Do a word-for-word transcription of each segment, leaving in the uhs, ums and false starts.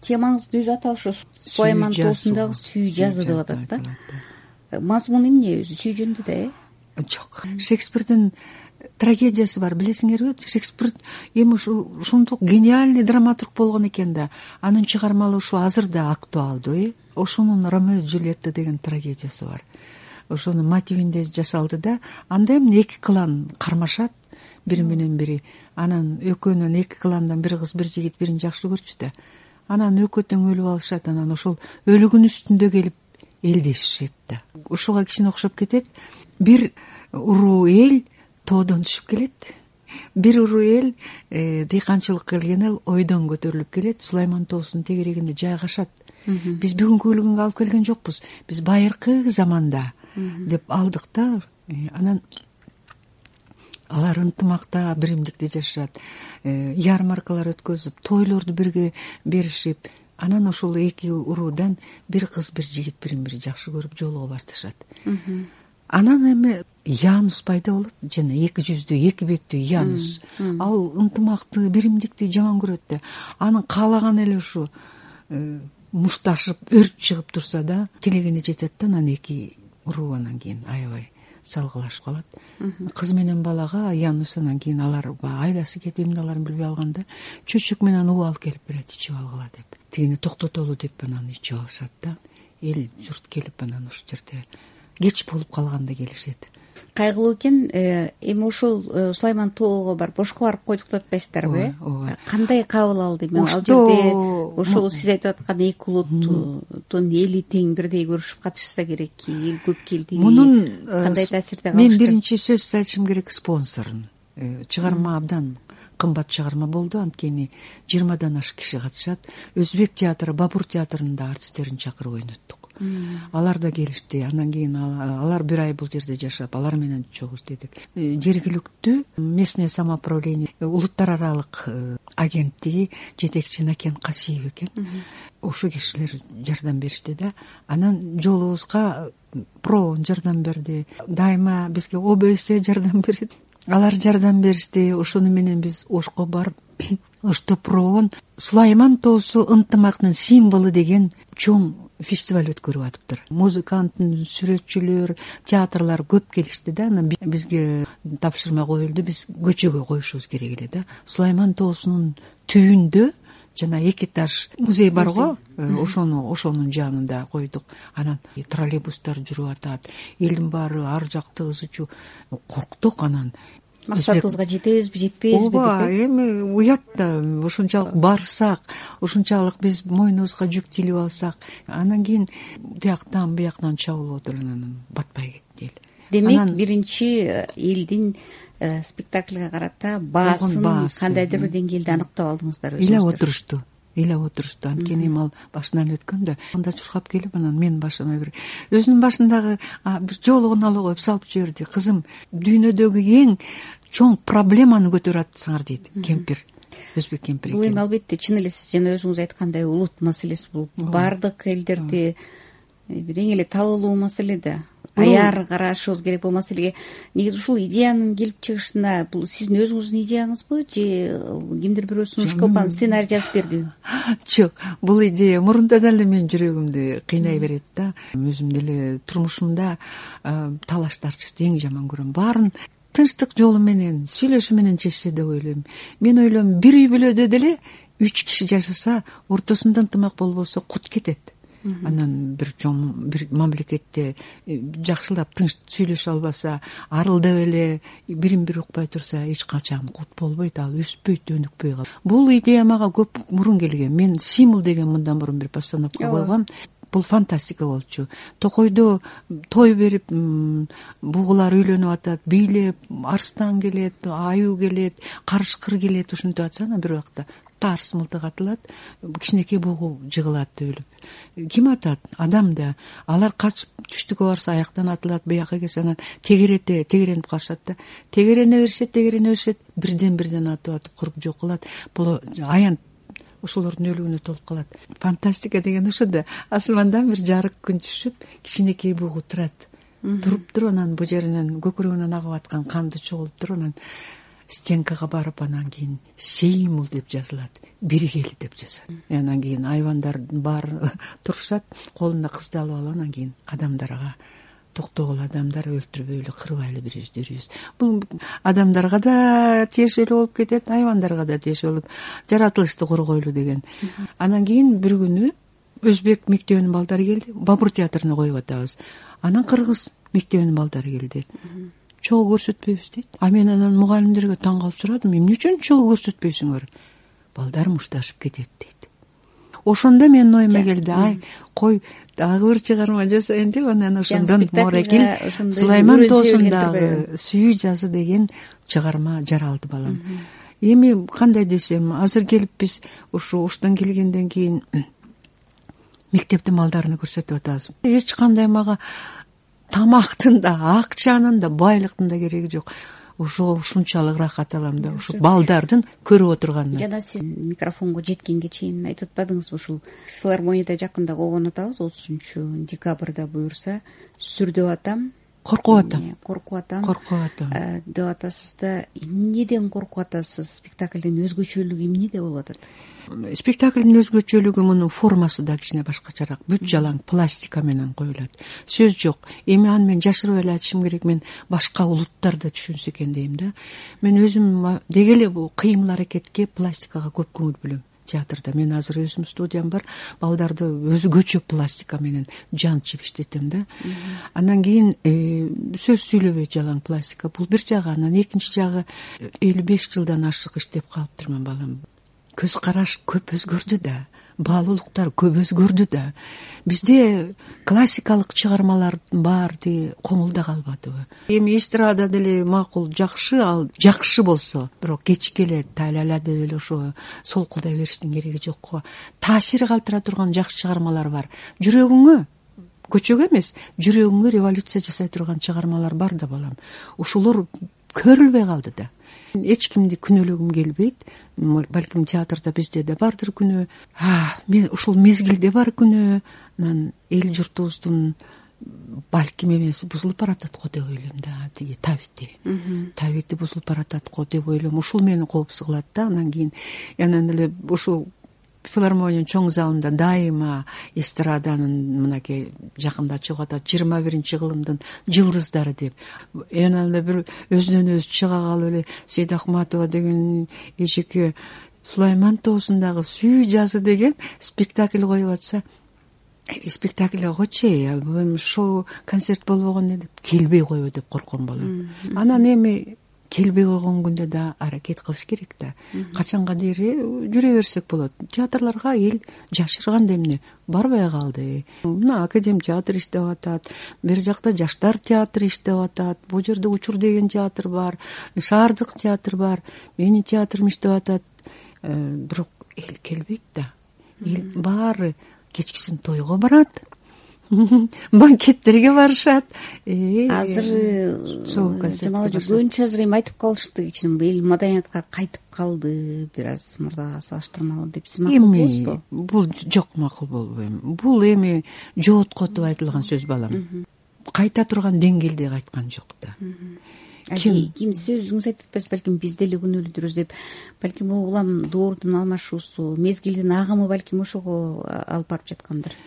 темаңыздын өзү аталыш ошо Сулайман тоосундагы сүйүү жазуу деп атат да. Мазмуну эмне өзү сүйүү жөнүндө да э? Жок. Шекспирдин трагедиясы бар, билесиңерби? Шекспир эми ушунтук гениальный драматург болгон экен да. Анын чыгармалары ушу азыр да актуалдуу, э? Ошонун Ромео и Джульетта деген трагедиясы бар. Ошонун мотивинде жасалды да. Анда эмне эки клан кармашат бири менен бири. Анан экөөнүн эки кландан бир кыз, бир жигит бирин жакшы көрчү да. Анан экөө тең өлүп алышат. Анан ошол өлүгүн үстүндө келип элдешишет да. Ушуга кичине окшоп кетет. Бир уруу эл тоодон түшүп келет. Бир уруу эл дыйканчылыкка келген эл ойдон көтөрүлүп келет. Сулайман тоосунун тегерегинде жайгашат. Биз бүгүнкү күнгө алып келген жокпуз. Биз байыркы заманда деп алдык да. Анан алар ынтымакта, биримдикте жашашат. Ярмаркалар өткөзүп, тойлорду бирге беришип, анан ошол эки уруудан бир кыз, бир жигит бирин бири жакшы көрүп жолугуп башташат. Анан эми Янус пайда болот, жана эки жүздүү, эки беттүү Янус. Ал ынтымакты, биримдикти жаман көрөт да. Анын каалаганы эле ушу мушташып, өрт чыгып турса да, тилегине жетет да. Анан эки уруу анан кийин аябай салгылашып калат. Кыз менен балага Янус анан кийин алар айласы кетип эмне кыларын билбей алганда чөчөк менен уу алып келип берет, ичип алгыла деп. Тигини токтотолу деп анан ичип алышат да. Эл журт келип анан ошол жерде кеч болуп калганда келишет. Кайгылуу экен. Эми ошол Сулайман тоого бар бошко барып койдук деп атпайсыздарбы? Ооба. Кандай кабыл алды? Мен ал жерде ошол сиз айтып аткан эки улуттун эли тең бирдей көрүшүп катышса керек, эл көп келди. Мунун кандай таасирде калышты? Мен биринчи сөз айтышым керек спонсорун. Чыгарма абдан кымбат чыгарма болду, анткени жыйырмадан ашык киши катышат. Өзбек театры, Бабур театрында артисттерин чакырып ойноттук. Алар да келишти. Андан кийин алар бир ай бул жерде жашап, алар менен чогуу иштедик. Жергиликтүү местное самоуправление, улуттар аралык агенттиги жетекчи Накен Касиев экен. Ошо кишилер жардам беришти да. Анан жолубузга проон жардам берди. Дайыма бизге О Б С жардам берет. Алар жардам беришти. Ошону менен биз Ошко барып, Ошто проон Сулайман тоосу ынтымактын символу деген чоң фестиваль өткөрүп атыптыр. Музыканттын, сүрөтчүлөр, театрлар көп келишти да. Анан бизге тапшырма коюлду, биз көчөгө коюшубуз керек эле да. Сулайман тоосунун түбүндө жана эки этаж музей бар го, ошону ошонун жанында койдук. Анан троллейбустар жүрүп атат. Элдин баары ар жактыгызычу корктук. Анан максатыбызга жетебизби, жетпейбизби деп. Ооба, эми уят да, ушунчалык барсак, ушунчалык биз мойнубузга жүк тилип алсак, анан кийин тияктан бияктан чабылып отуруп анан батпай кетти эл. Демек, биринчи элдин спектакльга карата баасын кандайдыр бир деңгээлде аныктап алдыңыздар өзүңүздөр. Ыйлап отурушту. Ыйлап отурушту. Анткени ал башынан өткөн да, анда чуркап келип, анан менин башыма бир өзүнүн башындагы бир жоолугун алып коюп салып жиберди. Кызым, дүйнөдөгү эң чоң проблеманы көтөрүп атсыңар дейт кемпир. Өзбек кемпир экен. Бул эми албетте чын эле сиз жана өзүңүз айткандай улут маселеси, бул бардык элдерди бир эң эле талуулуу маселе да. Аяр карашыбыз керек бул маселеге. Негизи ушул идеянын келип чыгышына бул сиздин өзүңүздүн идеяңызбы же кимдир бирөө сунуш кылып анан сценарий жазып бердиби? Жок, бул идея мурунтан эле менин жүрөгүмдү кыйнай берет да. Өзүм деле турмушумда талаштар чыкты, эң жаман көрөм. Баарын тынчтык жолу менен, сүйлөшүү менен чечсе деп ойлойм. Мен ойлойм, бир үй бүлөдө деле үч киши жашаса, ортосунда ынтымак болбосо кут кетет. Анан бир чоң бир мамлекетте жакшылап тынч сүйлөшө албаса, арылдап эле бирин бири укпай турса, эч качан кут болбойт, ал өспөйт, өнүкпөй калат. Бул идея мага көп мурун келген. Мен символ деген мындан мурун бир постановка койгом. Бул фантастика болчу. Токойдо той берип, бугулар үйлөнүп атат, бийлеп, арстан келет, аюу келет, карышкыр келет, ушинтип атса, анан бир убакта тарс мылтык атылат, кичинекей бугу жыгылат өлүп. Ким атат? Адам да. Алар качып түштүккө барса аяктан атылат, бияка келсе анан тегерете, тегеренип калышат да. Тегерене беришет, тегерене беришет, бирден бирден атып атып кырып жок кылат. Бул аян ошолордун өлүгүнө толуп калат. Фантастика деген ошо да. Асмандан бир жарык күн түшүп, кичинекей бугу турат. Туруп туруп анан бу жеринен көкүрөгүнөн агып аткан канды чогултуп туруп анан стенкага барып анан кийин сеймул деп жазылат, биргели деп жазат. Анан кийин айвандар баары турушат, колуна кызды алып алып анан кийин адамдарга токтогула, адамдар өлтүрбөйлү, кырбайлы бир жүрүбүз. Бул адамдарга да тиешелүү болуп кетет, айвандарга да тиешелүү болуп, жаратылышты коргойлу деген. Анан кийин бир күнү өзбек мектебинин балдары келди, Бабур театрына коюп атабыз. Анан кыргыз мектебинин балдары келди. Чогуу көрсөтпөйбүз дейт. А мен анан мугалимдерге таң калып сурадым, эмне үчүн чогуу көрсөтпөйсүңөр? Балдар мушташып кетет дейт. Ошондо менин оюма келди, ай, кой, дагы бир чыгарма жасайын деп, анан ошондон Моракил Сулайман тоосундагы сүйүү жазы деген чыгарма жаралды балам. Эми кандай десем, азыр келип биз ушу уштан келгенден кийин мектептин балдарына көрсөтүп атабыз. Эч кандай мага тамактын да, акчанын да, байлыктын да кереги жок. Ошо ушунчалык рахат алам да, ушу балдардын көрүп отурганына. Жана сиз микрофонго жеткенге чейин айтып атпадыңызбы, ушул филармонияда жакында койгон атабыз, отузунчу декабрда буюрса, сүрдөп атам. Коркуп атам. Коркуп атам. Коркуп атам. Деп атасыз да, эмнеден коркуп атасыз? Спектаклдин өзгөчөлүгү эмнеде болуп атат? Спектаклдин өзгөчөлүгү мунун формасы да кичине башкачараак, бүт жалаң пластика менен коюлат. Сөз жок. Эми аны мен жашырып эле айтышым керек, мен башка улуттар да түшүнсө экен дейм да. Мен өзүм деги эле бул кыймыл аракетке, пластикага көп көңүл бөлөм. Театрда мен азыр өзүм студиям бар, балдарды өзгөчө пластика менен жанчып иштетем да. Анан кийин сөз сүйлөбөй жалаң пластика, бул бир жагы. Анан экинчи жагы, элүү беш жылдан ашык иштеп калыптырмын балам. Көз караш көп өзгөрдү да, баалуулуктар көп өзгөрдү да. Бизде классикалык чыгармалар бар ди, коңулда калбадыбы? Эми эстрада деле макул, жакшы, ал жакшы болсо, бирок кечке эле тайлала деп эле ошо солкулдай бериштин кереги жок го. Таасири калтыра турган жакшы чыгармалар бар. Жүрөгүңө, көчөгө эмес, жүрөгүңө революция жасай турган чыгармалар бар да балам. Ушулар көрүлбөй калды да. Эч кимди күнөөлөгүм келбейт. Балким театрда бизде да бардыр күнөө. Мен ушул мезгилде бар күнөө. Анан эл журтубуздун балким эмеси бузулуп баратат го деп ойлойм да, тиги табити. Табити бузулуп баратат го деп ойлойм. Ушул мени коопсуз кылат да. Анан кийин анан эле ушул филармониянын чоң залында дайыма эстраданын мынакей жакында чыгып атат, жыйырма биринчи кылымдын жылдыздары деп. Анан эле бир өзүнөн өзү чыга калып эле Сейд Ахматова деген эжеке Сулайман тоосундагы сүйүү жазы деген спектакль коюп атса, спектакль койчу, бул шоу концерт болбогон деп келбей койбу деп корком балам. Анан эми келбей койгон күндө да аракет кылыш керек да. Качанга дейри жүрө берсек болот. Театрларга эл жашырган эмне барбай калды. Мына Академ театр иштеп атат, бир жакта Жаштар театры иштеп атат, бул жерде Учур деген театр бар, Шаардык театр бар, менин театрым иштеп атат. Бирок эл келбейт да. Эл баары кечкисин тойго барат. Банкеттерге барышат. Азыр жамал жөнчө азыр эми айтып калышты, кичине эл маданиятка кайтып калды, бир аз мурдага салыштырмалуу деп. Сиз макул болосузбу? Бул жок, макул болбойм. Бул эми жооткотуп айтылган сөз балам. Кайта турган деңгээлде айткан жок да. Ким ким сиз өзүңүз айтып атпайсыз, балким биз деле күнөөлүдүрбүз деп. Балким улам доордун алмашуусу, мезгилдин агымы балким ошого алып барып жаткандыр.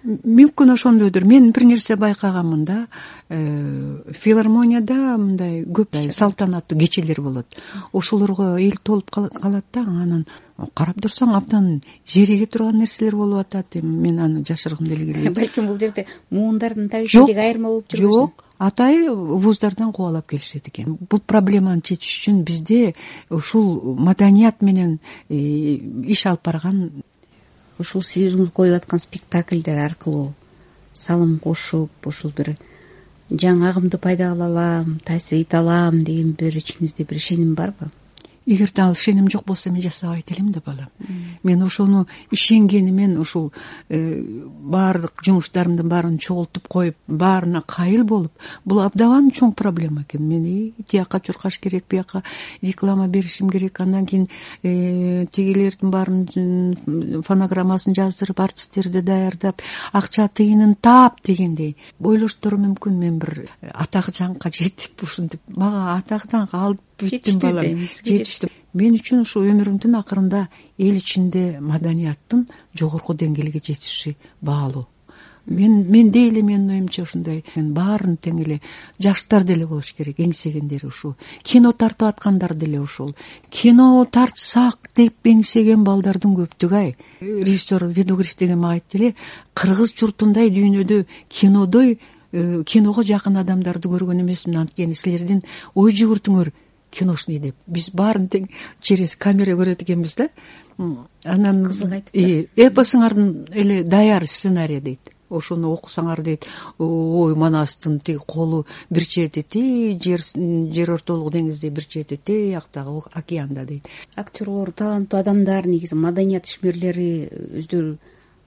Мүмкүн ошондойдур. Мен бир нерсе байкаганмын да, филармонияда мындай көп салтанаттуу кечелер болот. Ошолорго эл толуп калат да, анан карап турсаң абдан зереге турган нерселер болуп атат. Мен аны жашыргым деле келбейт. Балким бул жерде муундардын табитиндеги айырма болуп жүрбөсүн. Жок, атай вуздардан кубалап келишет экен. Бул проблеманы чечиш үчүн бизде ушул маданият менен иш алып барган, ушул сиз өзүңүз коюп аткан спектакльдер аркылуу салым кошуп, ушул бир жаңы агымды пайда кыла алам, таасир эте алам деген бир ичиңизде бир ишеним барбы? Эгерде ал ишеним жок болсо мен жасабайт элем да балам. Мен ошону ишенгенимен ушул баардык жумуштарымдын баарын чогултуп коюп, баарына кайыл болуп, бул абдан чоң проблема экен. Мен тияка чуркаш керек, бияка реклама беришим керек, андан кийин тигилердин баарын фонограммасын жаздырып, артисттерди даярдап, акча тыйынын таап дегендей ойлоштору мүмкүн. Мен бир атак жаңка жетип ушинтип, мага атактан калып бүттүм балам, жетиштүү. Мен үчүн ушу өмүрүмдүн акырында эл ичинде маданияттын жогорку деңгээлге жетиши баалуу. Мен мен деле менин оюмча ушундай баарын тең эле жаштар деле болуш керек, эңсегендери ушул. Кино тартып аткандар деле ушул. Кино тартсак деп эңсеген балдардын көптүгү-ай. Режиссер Видогрис деген мага айтты эле, кыргыз журтундай дүйнөдө кинодой киного жакын адамдарды көргөн эмесмин, анткени силердин ой жүгүртүңөр киношный деп. Биз баарын тең через камера көрөт экенбиз да. Анан кызык айтып. Эпосуңардын эле даяр сценарий дейт. Ошону окусаңар дейт, ой манастын тиги колу бир чети ти жер жер ортолук деңизде, бир чети ти актагы океанда дейт. Актерлор, таланттуу адамдар негизи маданият ишмерлери өздөрү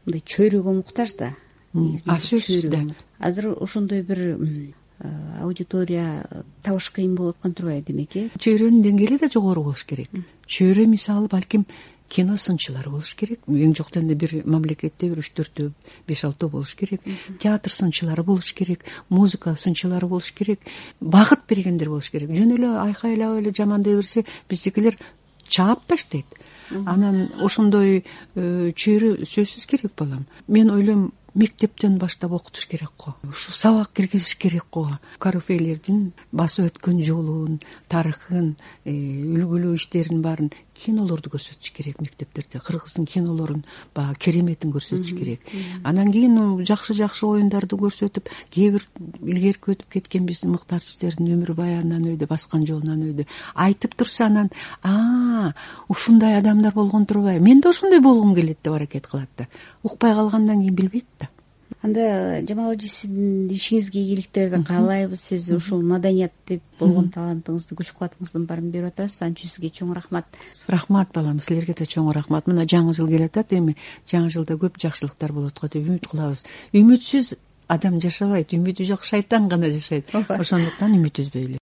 мындай чөйрөгө муктаж да. Сөзсүз да. Азыр ошондой бир аудитория табыш кыйын болуп аткан турбайбы демек, э? Чөйрөнүн деңгээли да жогору болуш керек. Чөйрө мисалы балким кино сынчылары болуш керек. Эң жокто бир мамлекетте бир үч төртөө, беш алтоо болуш керек. Театр сынчылары болуш керек, музыка сынчылары болуш керек, багыт бергендер болуш керек. Жөн эле айкайлап эле жамандай берсе, биздикилер чаап таштайт. Анан ошондой чөйрө сөзсүз керек балам. Мен ойлойм, мектептен баштап окутуш керек го. Ушу сабак киргизиш керек го. Карифейлердин басып өткөн жолун, тарыхын, үлгүлүү иштерин баарын кинолорду көрсөтүш керек мектептерде. Кыргыздын кинолорун баягы кереметин көрсөтүш керек. Анан кийин жакшы-жакшы оюндарды көрсөтүп, кээ бир илгерки өтүп кеткен биздин мыкты артисттердин өмүр баянынан өйдө, баскан жолунан өйдө айтып турса, анан а ушундай адамдар болгон турбайбы, мен да ошондой болгум келет деп аракет кылат да. Укпай калгандан кийин билбейт да. Анда Жамал эже, сиздин ишиңизге ийгиликтерди каалайбыз. Сиз ушул маданият деп болгон талантыңызды, күч кубатыңыздын баарын берип атасыз. Анча сизге чоң рахмат. Рахмат балам, силерге да чоң рахмат. Мына жаңы жыл келатат, эми жаңы жылда көп жакшылыктар болот го деп үмүт кылабыз. Үмүтсүз адам жашабайт, үмүтү жок шайтан гана жашайт. Ошондуктан үмүт үзбөйлү.